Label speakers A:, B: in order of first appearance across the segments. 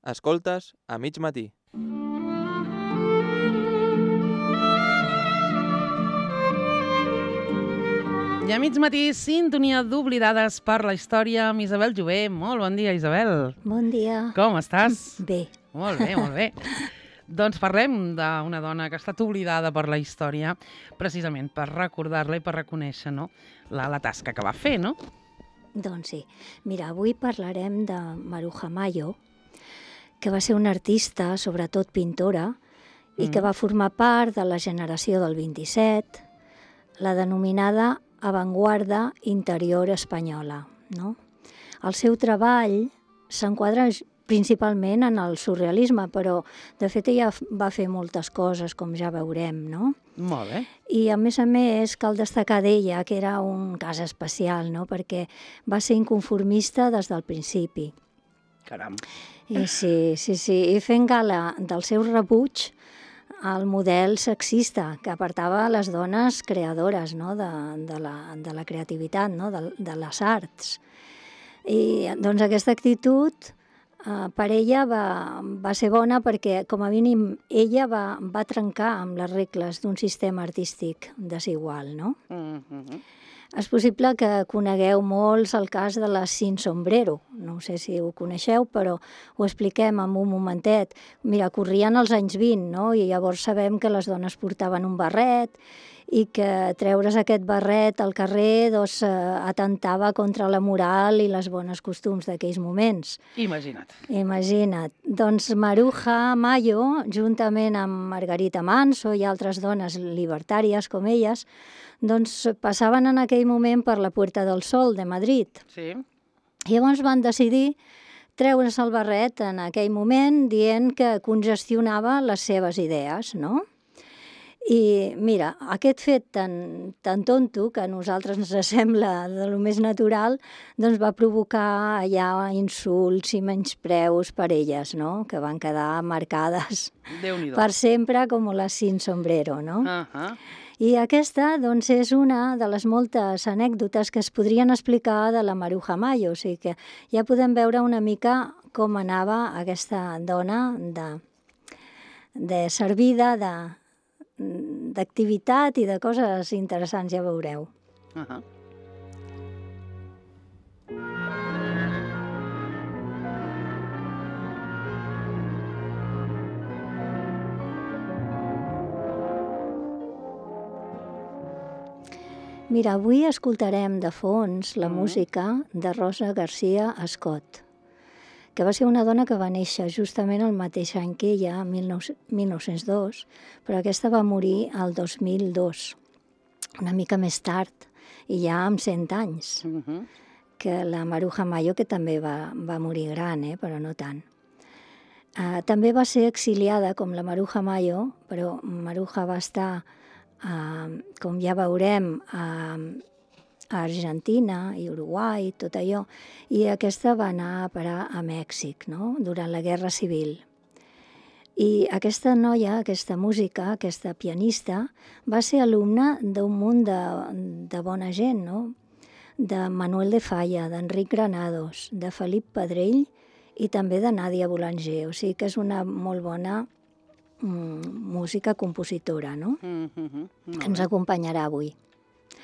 A: Escoltes a mig matí.
B: I a mig matí, sintonia d'Oblidades per la història amb Isabel Jové. Molt bon dia, Isabel.
C: Bon dia.
B: Com estàs?
C: Bé.
B: Molt bé, molt bé. Doncs parlem d'una dona que ha estat oblidada per la història precisament per recordar-la i per reconèixer, no, la tasca que va fer, no?
C: Doncs sí. Mira, avui parlarem de Maruja Mayo, que va ser una artista, sobretot pintora, i que va formar part de la generació del 27, la denominada avantguarda interior espanyola, no? El seu treball s'enquadra principalment en el surrealisme, però de fet ella va fer moltes coses, com ja veurem, no?
B: Molt bé.
C: I a més, cal destacar d'ella que era un cas especial, no? Perquè va ser inconformista des del principi.
B: Caram.
C: I sí, i fent gala del seu rebuig al model sexista que apartava les dones creadores, no? de la creativitat, no? de les arts. I doncs aquesta actitud per ella va ser bona perquè, com a mínim, ella va trencar amb les regles d'un sistema artístic desigual, no? És possible que conegueu molts el cas de la Sin Sombrero. No sé si ho coneixeu, però ho expliquem en un momentet. Mira, corrien els anys 20, no? I llavors sabem que les dones portaven un barret i que treure's aquest barret al carrer doncs, atentava contra la moral i les bones costums d'aquells moments.
B: Imagina't.
C: Doncs Maruja Mayo, juntament amb Margarita Manso i altres dones libertàries com elles, doncs passaven en aquell moment per la Puerta del Sol de Madrid.
B: Sí.
C: I llavors van decidir treure's el barret en aquell moment dient que congestionava les seves idees, no? I mira, aquest fet tan tonto, que a nosaltres ens sembla de lo més natural, doncs va provocar allà insults i menyspreus per elles, no? Que van quedar marcades per sempre com la Sin Sombrero, no? I aquesta, doncs, és una de les moltes anècdotes que es podrien explicar de la Maruja Mayo, o sigui que ja podem veure una mica com anava aquesta dona de servida, d'activitat i de coses interessants, ja veureu. Mira, avui escoltarem de fons la música de Rosa García Scott, que va ser una dona que va néixer justament el mateix any que ella, 1902, però aquesta va morir el 2002, una mica més tard, i ja amb 100 anys, que la Maruja Mayo, que també va morir gran, però no tant. També va ser exiliada com la Maruja Mayo, però Maruja va estar, com ja veurem, a Argentina i Uruguai, tot allò, i aquesta va anar a parar a Mèxic, no? Durant la Guerra Civil. I aquesta noia, aquesta música, aquesta pianista, va ser alumna d'un munt de bona gent, no? De Manuel de Falla, d'Enric Granados, de Felip Pedrell i també de Nàdia Boulanger, o sigui que és una molt bona música compositora, no? Que ens acompanyarà avui.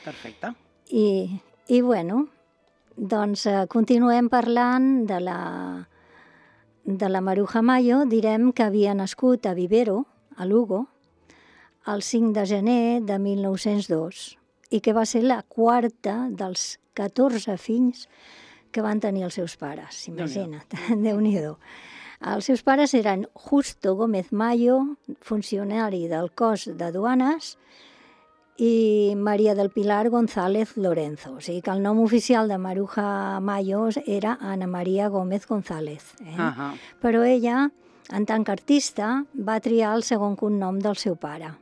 B: Perfecte.
C: I bueno, doncs continuem parlant de la Maruja Mayo. Direm que havia nascut a Vivero, a Lugo, el 5 de gener de 1902 i que va ser la quarta dels 14 fills que van tenir els seus pares, imagina't, Déu-n'hi-do. Els seus pares eren Justo Gómez Mayo, funcionari del cos de duanes, i Maria del Pilar González Lorenzo. O sigui que el nom oficial de Maruja Mayo era Ana María Gómez González. Però ella, en tant que artista, va triar el segon cognom del seu pare.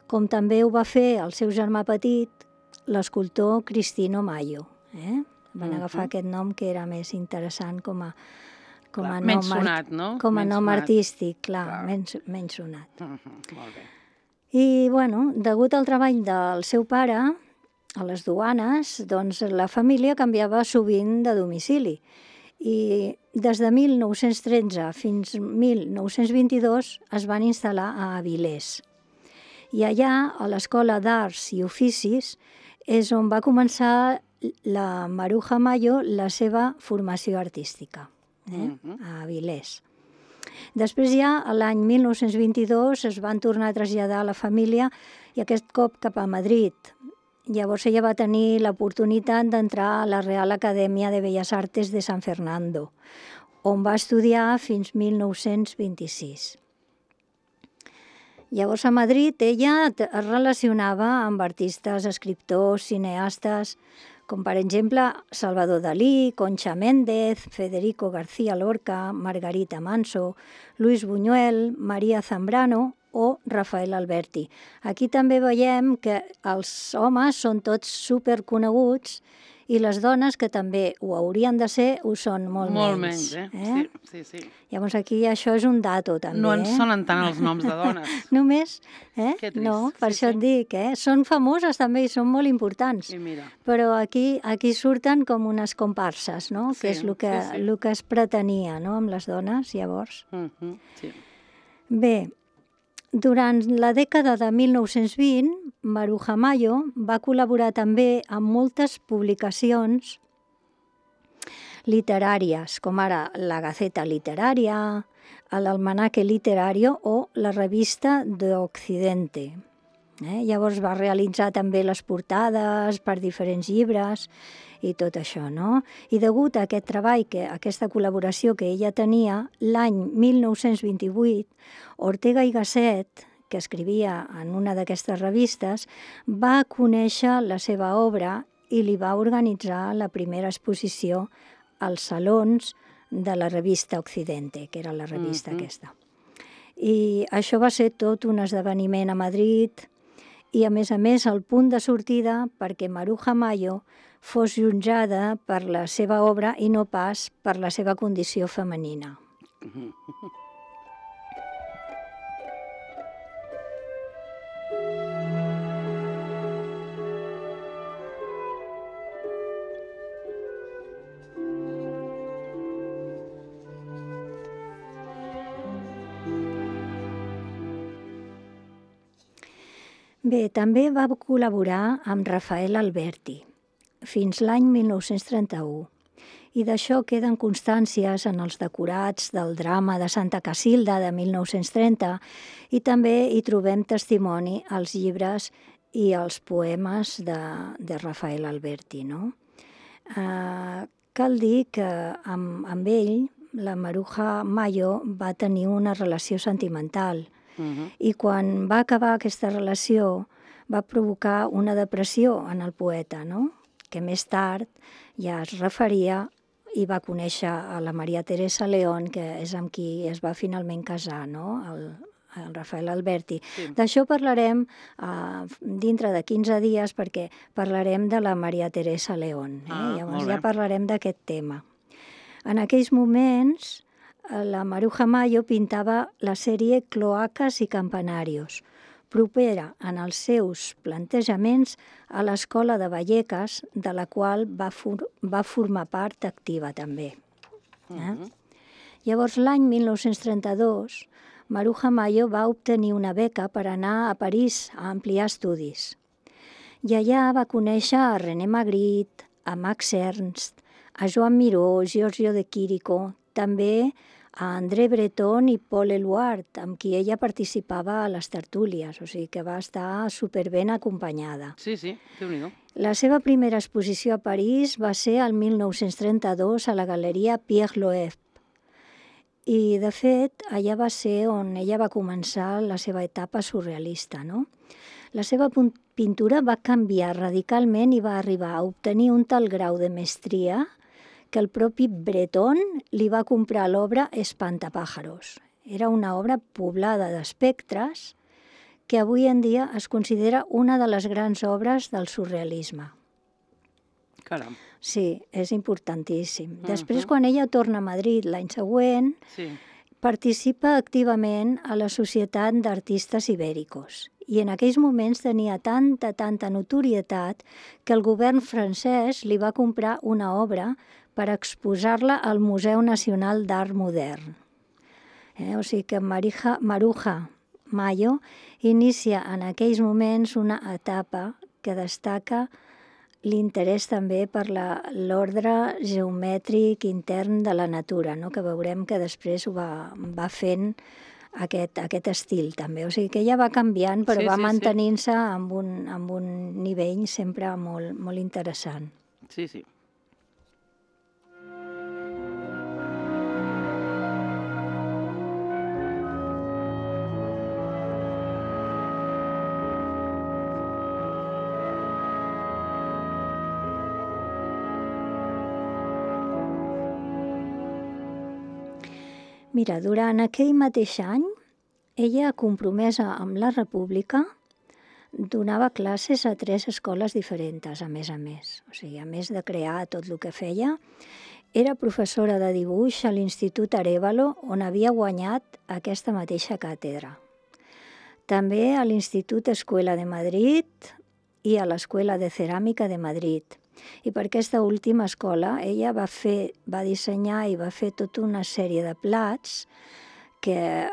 C: Com també ho va fer el seu germà petit, l'escultor Cristino Mayo. Van agafar aquest nom que era més interessant com a nom,
B: menys sonat, no?
C: Com a nom artístic, clar, menys sonat.
B: Molt bé.
C: I, bueno, degut al treball del seu pare a les duanes, doncs la família canviava sovint de domicili. I des de 1913 fins 1922 es van instal·lar a Avilés. I allà, a l'Escola d'Arts i Oficis, és on va començar la Maruja Mayo la seva formació artística, a Avilés. Després ja, l'any 1922, es van tornar a traslladar a la família i aquest cop cap a Madrid. Llavors ella va tenir l'oportunitat d'entrar a la Real Acadèmia de Belles Artes de San Fernando, on va estudiar fins 1926. Llavors a Madrid ella es relacionava amb artistes, escriptors, cineastes, com per exemple Salvador Dalí, Concha Méndez, Federico García Lorca, Margarita Manso, Luis Buñuel, María Zambrano o Rafael Alberti. Aquí també veiem que els homes són tots superconeguts i les dones, que també ho haurien de ser, ho són molt menys.
B: Sí.
C: Llavors aquí això és un dato també.
B: No ens sonen tant els noms de dones.
C: Només,
B: Que trist.
C: No, per això et dic, són famoses també i són molt importants.
B: I mira.
C: Però aquí surten com unes comparses, no? Que és el que es pretenia, no?, amb les dones, llavors.
B: Sí.
C: Bé, durant la dècada de 1920, Maruja Mayo va col·laborar també amb moltes publicacions literàries, com ara la Gaceta Literaria, l'Almanaque Literario o la Revista de Occidente. Llavors va realitzar també les portades per diferents llibres i tot això, no? I degut a aquest treball, a aquesta col·laboració que ella tenia, l'any 1928, Ortega y Gasset, que escrivia en una d'aquestes revistes, va conèixer la seva obra i li va organitzar la primera exposició als salons de la revista Occidente, que era la revista aquesta. I això va ser tot un esdeveniment a Madrid i, a més, el punt de sortida perquè Maruja Mayo fos jutjada per la seva obra i no pas per la seva condició femenina. Bé, també va col·laborar amb Rafael Alberti fins l'any 1931 i d'això queden constàncies en els decorats del drama de Santa Casilda de 1930 i també hi trobem testimoni als llibres i als poemes de Rafael Alberti, no? Cal dir que amb ell la Maruja Mayo va tenir una relació sentimental i quan va acabar aquesta relació va provocar una depressió en el poeta, no?, que més tard ja es referia i va conèixer a la Maria Teresa León, que és amb qui es va finalment casar, no?, el Rafael Alberti. Sí. D'això parlarem dintre de 15 dies perquè parlarem de la Maria Teresa León. Llavors ja parlarem d'aquest tema. En aquells moments la Maruja Mayo pintava la sèrie Cloacas y Campanarios, propera en els seus plantejaments a l'Escola de Vallecas, de la qual va formar part activa també. Llavors, l'any 1932, Maruja Mayo va obtenir una beca per anar a París a ampliar estudis. I allà va conèixer a René Magritte, a Max Ernst, a Joan Miró, Giorgio de Chirico, també a André Breton i Paul Eluard, amb qui ella participava a les tertúlies, o sigui que va estar superben acompanyada.
B: Sí, Déu-n'hi-do.
C: La seva primera exposició a París va ser el 1932 a la Galeria Pierre Loeb. I, de fet, allà va ser on ella va començar la seva etapa surrealista, no? La seva pintura va canviar radicalment i va arribar a obtenir un tal grau de mestria que el propi Breton li va comprar l'obra Espantapájaros. Era una obra poblada d'espectres que avui en dia es considera una de les grans obres del surrealisme.
B: Caram.
C: Sí, és importantíssim. Després, quan ella torna a Madrid l'any següent, participa activament a la Societat d'Artistes Ibèricos. I en aquells moments tenia tanta notorietat que el govern francès li va comprar una obra per exposar-la al Museu Nacional d'Art Modern. O sigui que Maruja Mayo inicia en aquells moments una etapa que destaca l'interès també per l'ordre geomètric intern de la natura, no? Que veurem que després ho va fent aquest estil també. O sigui que ella va canviant, però va mantenint-se amb un nivell sempre molt, molt interessant.
B: Sí, sí.
C: Mira, durant aquell mateix any, ella, compromesa amb la República, donava classes a 3 escoles diferents, a més. O sigui, a més de crear tot el que feia, era professora de dibuix a l'Institut Arévalo, on havia guanyat aquesta mateixa càtedra. També a l'Institut Escuela de Madrid i a l'Escuela de Ceràmica de Madrid. I per aquesta última escola ella va dissenyar i va fer tota una sèrie de plats que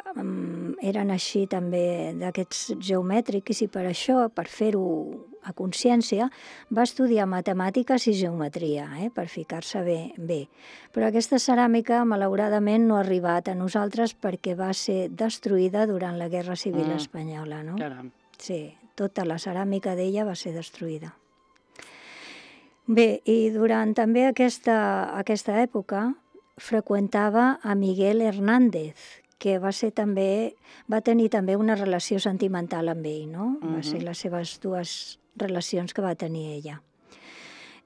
C: eren així també d'aquests geomètrics, i per això, per fer-ho a consciència, va estudiar matemàtiques i geometria, per ficar-se bé. Però aquesta ceràmica, malauradament, no ha arribat a nosaltres perquè va ser destruïda durant la Guerra Civil Espanyola, no?
B: Caram.
C: Sí, tota la ceràmica d'ella va ser destruïda. Bé, i durant també aquesta època freqüentava a Miguel Hernández, que va tenir també una relació sentimental amb ell, no? Va ser les seves 2 relacions que va tenir ella.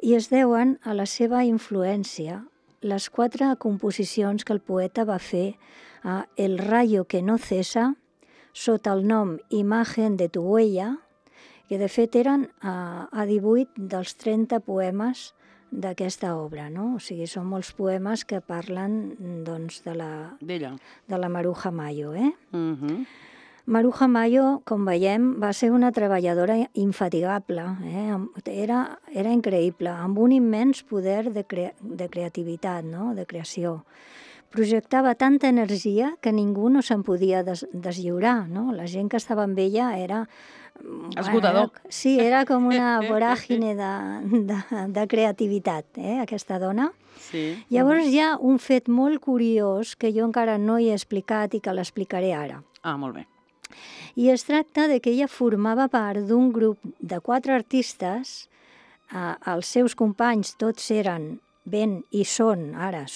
C: I es deuen a la seva influència les 4 composicions que el poeta va fer a El rayo que no cesa, sota el nom Imagen de tu huella, que de fet eren a 18 dels 30 poemes d'aquesta obra, no? O sigui, són molts poemes que parlen, doncs, de la Maruja Mayo, Maruja Mayo, com veiem, va ser una treballadora infatigable, era increïble, amb un immens poder de creativitat, no? De creació. Projectava tanta energia que ningú no se'n podia deslliurar, no? La gent que estava amb ella era...
B: Esgotador.
C: Sí, era com una voràgine de creativitat, aquesta dona.
B: Sí.
C: Llavors hi ha un fet molt curiós que jo encara no he explicat i que l'explicaré ara.
B: Ah, molt bé.
C: I es tracta de que ella formava part d'un grup de 4 artistes, els seus companys tots eren són ara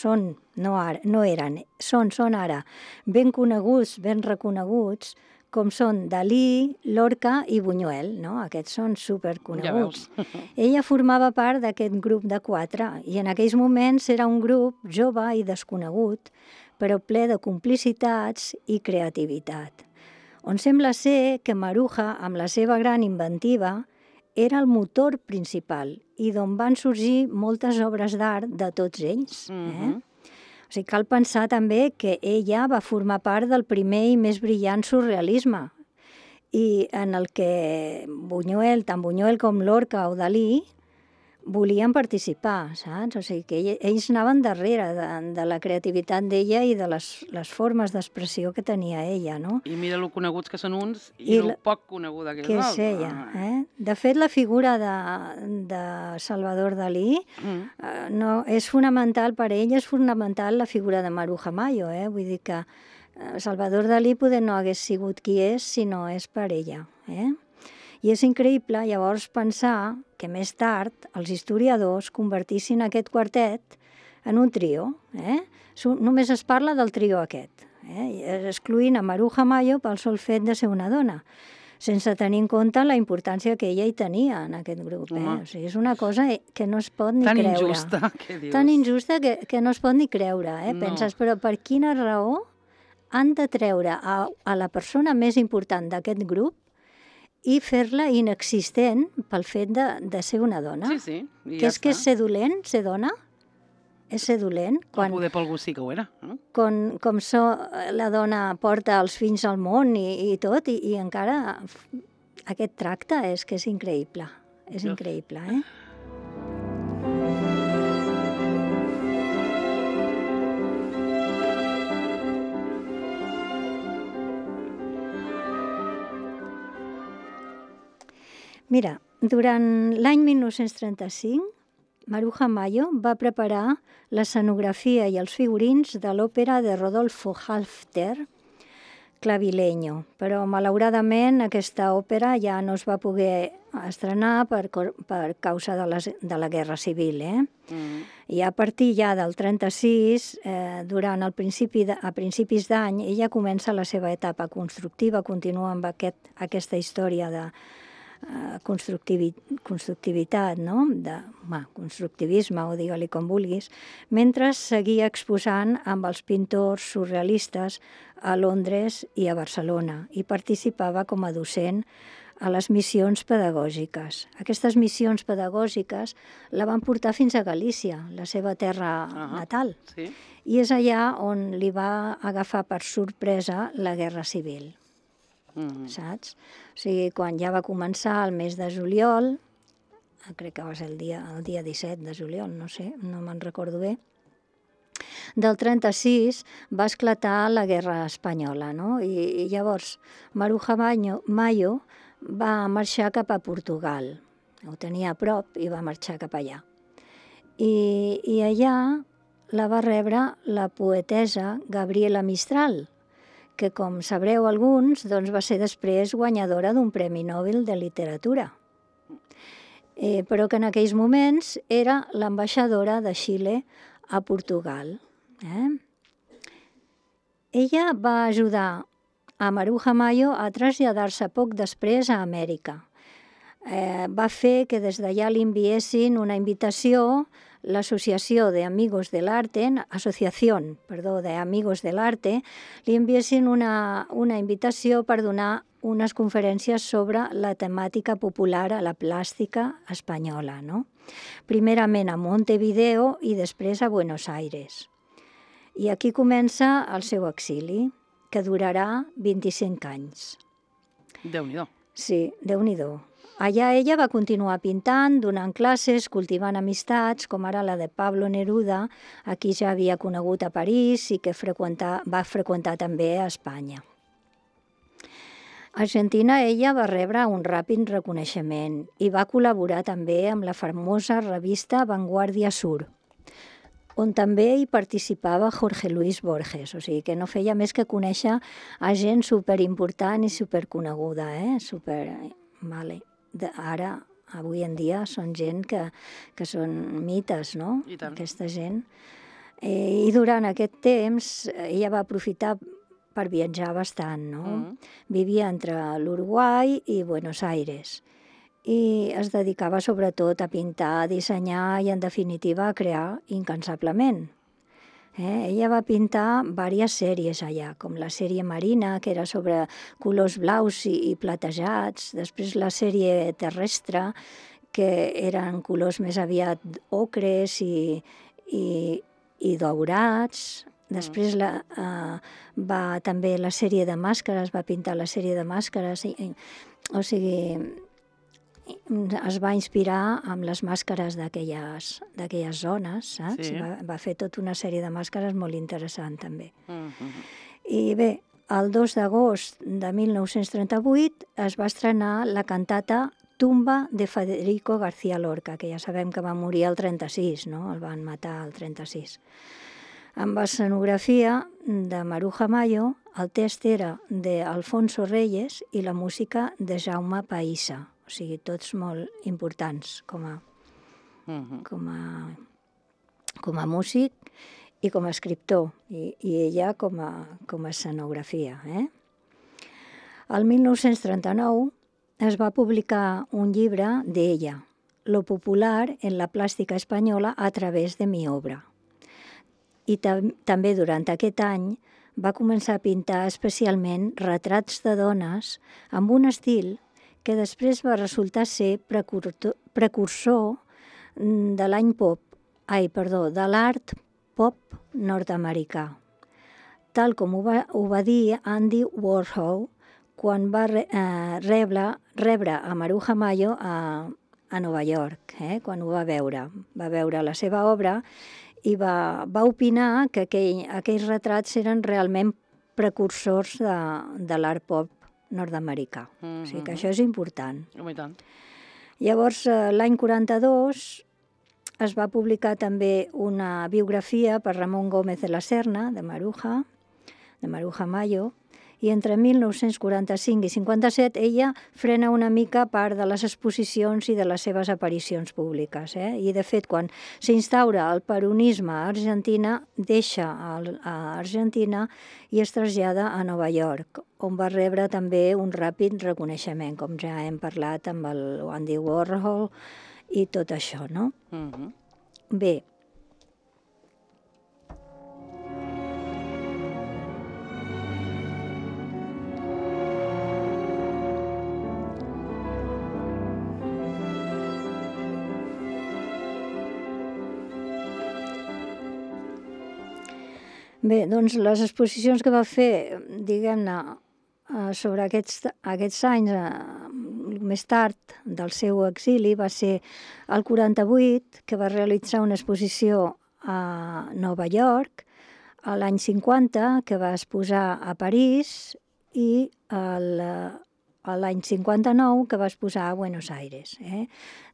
C: ben coneguts, ben reconeguts, com són Dalí, Lorca i Buñuel, no? Aquests són superconeguts.
B: Ja veus.
C: Ella formava part d'aquest grup de 4 i en aquells moments era un grup jove i desconegut, però ple de complicitats i creativitat, on sembla ser que Maruja, amb la seva gran inventiva, era el motor principal i d'on van sorgir moltes obres d'art de tots ells. O sigui, cal pensar també que ella va formar part del primer i més brillant surrealisme, i en el que tant Buñuel com Lorca o Dalí volien participar, saps? O sigui, que ells anaven darrere de la creativitat d'ella i de les formes d'expressió que tenia ella, no?
B: I mira lo coneguts que són uns i lo poc coneguda que és l'altre.
C: Que és ella, De fet, la figura de Salvador Dalí és fonamental per ell, és fonamental la figura de Maruja Mayo, Vull dir que Salvador Dalí poder no hagués sigut qui és si no és per ella, I és increïble llavors pensar que més tard els historiadors convertissin aquest quartet en un trio. Només es parla del trio aquest, excloent a Maruja Mayo pel sol fet de ser una dona, sense tenir en compte la importància que ella hi tenia en aquest grup. O sigui, és una cosa que no es pot ni creure.
B: Tan injusta, què dius?
C: Tan injusta que no es pot ni creure. Penses, però per quina raó han de treure a la persona més important d'aquest grup i fer-la inexistent pel fet de ser una dona?
B: Sí, i
C: ja està. Que és ser dolent, ser dona? És ser dolent?
B: Quan poder per algú sí que ho era.
C: Com la dona porta els fills al món i tot, i encara aquest tracte és que és increïble. És increïble, Mira, durant l'any 1935, Maruja Mayo va preparar l'escenografia i els figurins de l'òpera de Rodolfo Halfter, Clavileño, però malauradament aquesta òpera ja no es va poder estrenar per causa de la Guerra Civil. I a partir ja del 36, a principis d'any, ella comença la seva etapa constructiva, continua amb aquesta història de constructivitat, no? Constructivisme, o digue-li com vulguis, mentre seguia exposant amb els pintors surrealistes a Londres i a Barcelona i participava com a docent a les missions pedagògiques. Aquestes missions pedagògiques la van portar fins a Galícia, la seva terra natal, i és allà on li va agafar per sorpresa la Guerra Civil. Saps? O sigui, quan ja va començar el mes de juliol, crec que va ser el dia 17 de juliol, no sé, no me'n recordo bé, del 36 va esclatar la Guerra Espanyola, no? I llavors Maruja Mayo va marxar cap a Portugal, ho tenia a prop i va marxar cap allà. I allà la va rebre la poetessa Gabriela Mistral, que, com sabreu alguns, doncs va ser després guanyadora d'un Premi Nobel de Literatura, però que en aquells moments era l'ambaixadora de Xile a Portugal. Ella va ajudar a Maruja Mayo a traslladar-se poc després a Amèrica. Va fer que des d'allà li enviessin una invitació l'Associació de Amigos del Arte, li enviessin una invitació per donar unes conferències sobre la temàtica popular a la plàstica espanyola, no? Primerament a Montevideo i després a Buenos Aires. I aquí comença el seu exili, que durarà 25 anys.
B: Déu-n'hi-do.
C: Sí, Déu-n'hi-do. Allà ella va continuar pintant, donant classes, cultivant amistats, com ara la de Pablo Neruda, a qui ja havia conegut a París i que va freqüentar també a Espanya. A Argentina ella va rebre un ràpid reconeixement i va col·laborar també amb la famosa revista Vanguardia Sur, on també hi participava Jorge Luis Borges, o sigui que no feia més que conèixer a gent superimportant i superconeguda, Vale. Ara, avui en dia, són gent que són mites, no?
B: I tant.
C: Aquesta gent. I durant aquest temps ella va aprofitar per viatjar bastant, no? Vivia entre l'Uruguai i Buenos Aires i es dedicava sobretot a pintar, a dissenyar i, en definitiva, a crear incansablement. Ella va pintar diverses sèries allà, com la sèrie Marina, que era sobre colors blaus i platejats, després la sèrie Terrestre, que eren colors més aviat ocres i daurats. Després també la sèrie de màscares, va pintar la sèrie de màscares, o sigui, es va inspirar amb les màscares d'aquelles zones, saps? Va fer tota una sèrie de màscares molt interessant, també. I bé, el 2 d'agost de 1938 es va estrenar la cantata Tumba de Federico García Lorca, que ja sabem que va morir el 36, no? El van matar el 36. Amb escenografia de Maruja Mayo, el text era d'Alfonso Reyes i la música de Jaume Païssa. O sigui, tots molt importants com a músic i com a escriptor, i ella com a escenografia. El 1939 es va publicar un llibre d'ella, Lo popular en la plàstica espanyola a través de mi obra. I també durant aquest any va començar a pintar especialment retrats de dones amb un estil que després va resultar ser precursor de de l'art pop nord-americà, tal com ho va dir Andy Warhol quan va rebre a Maruja Mayo a Nova York, quan ho va veure. Va veure la seva obra i va opinar que aquells retrats eren realment precursors de l'art pop nord-americà. O sigui que
B: Mhm.
C: això és important.
B: Home, i tant.
C: Llavors, l'any 42 es va publicar també una biografia per Ramon Gómez de la Serna, de Maruja Mayo, i entre 1945 i 57 ella frena una mica part de les exposicions i de les seves aparicions públiques. I, de fet, quan s'instaura el peronisme a Argentina, deixa a Argentina i es trasllada a Nova York, on va rebre també un ràpid reconeixement, com ja hem parlat amb el Andy Warhol i tot això, no?
B: Mhm.
C: Bé, doncs les exposicions que va fer, diguem-ne, sobre aquests anys, més tard del seu exili, va ser el 48, que va realitzar una exposició a Nova York, l'any 50, que va exposar a París, i l'any 59, que va exposar a Buenos Aires.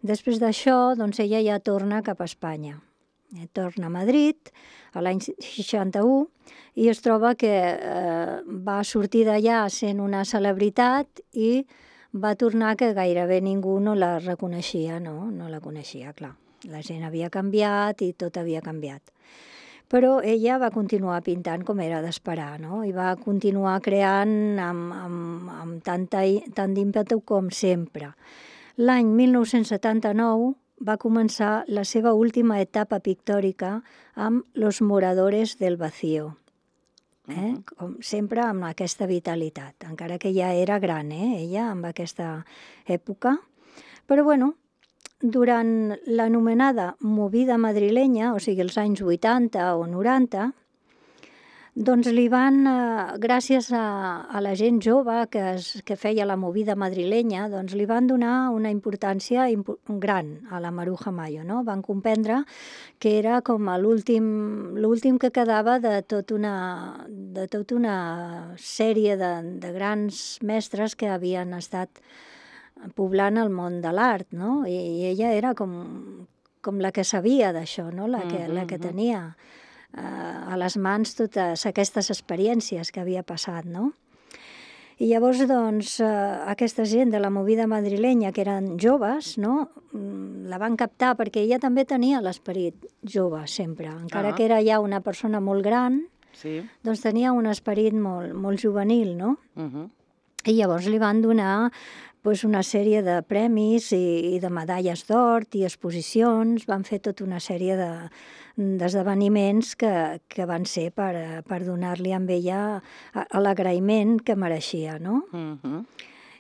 C: Després d'això, doncs ella ja torna cap a Espanya. Torna a Madrid l'any 61 i es troba que va sortir d'allà sent una celebritat i va tornar que gairebé ningú no la reconeixia, no la coneixia, clar. La gent havia canviat i tot havia canviat. Però ella va continuar pintant com era d'esperar, no? I va continuar creant amb tant d'ímpetu com sempre. L'any 1979 va començar la seva última etapa pictòrica amb Los Moradores del Vacío. Com sempre amb aquesta vitalitat, encara que ja era gran, ella, amb aquesta època. Però, bueno, durant l'anomenada movida madrilenya, o sigui, els anys 80 o 90, doncs li van, gràcies a la gent jove que feia la movida madrilenya, doncs li van donar una importància gran a la Maruja Mayo, no? Van comprendre que era com l'últim que quedava de tota una sèrie de grans mestres que havien estat poblant el món de l'art, no? I ella era com la que sabia d'això, no? La que tenia a les mans totes aquestes experiències que havia passat, no? I llavors, doncs, aquesta gent de la movida madrilenya, que eren joves, no? La van captar perquè ella també tenia l'esperit jove, sempre. Encara que era ja una persona molt gran, doncs tenia un esperit molt juvenil, no? I llavors li van donar una sèrie de premis i de medalles d'or i exposicions, van fer tota una sèrie d'esdeveniments que van ser per donar-li amb ella l'agraïment que mereixia, no?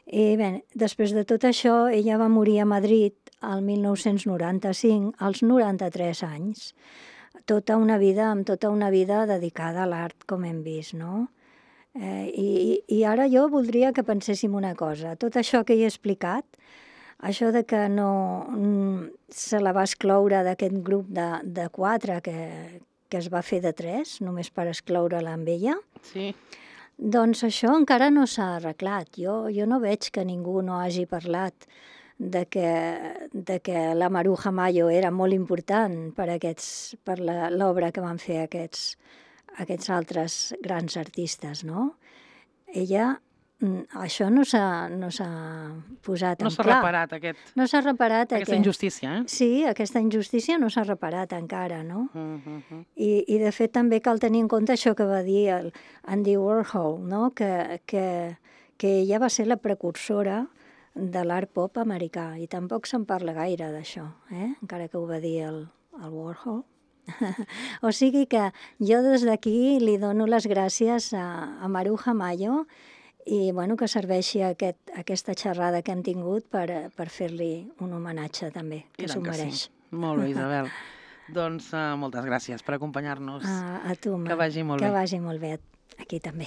C: I bé, després de tot això, ella va morir a Madrid el 1995, als 93 anys. Amb tota una vida dedicada a l'art, com hem vist, no? I ara jo voldria que penséssim una cosa. Tot això que he explicat, això de que no se la va excloure d'aquest grup de 4 que es va fer de 3, només per excloure-la amb ella, doncs això encara no s'ha arreglat. Jo no veig que ningú no hagi parlat de que la Maruja Mayo era molt important per l'obra que van fer aquests altres grans artistes, no? Ella, això no s'ha posat en clar.
B: No s'ha reparat
C: No s'ha reparat
B: aquesta injustícia,
C: Sí, aquesta injustícia no s'ha reparat encara, no? I de fet també cal tenir en compte això que va dir el Andy Warhol, no? Que ella va ser la precursora de l'art pop americà i tampoc se'n parla gaire d'això, encara que ho va dir el Warhol. O sigui que jo des d'aquí li dono les gràcies a Maruja Mayo i que serveixi aquesta xerrada que hem tingut per fer-li un homenatge també, que s'ho mereix.
B: Molt bé, Isabel. Doncs moltes gràcies per acompanyar-nos.
C: A tu,
B: que vagi molt bé.
C: Que vagi molt bé, aquí també.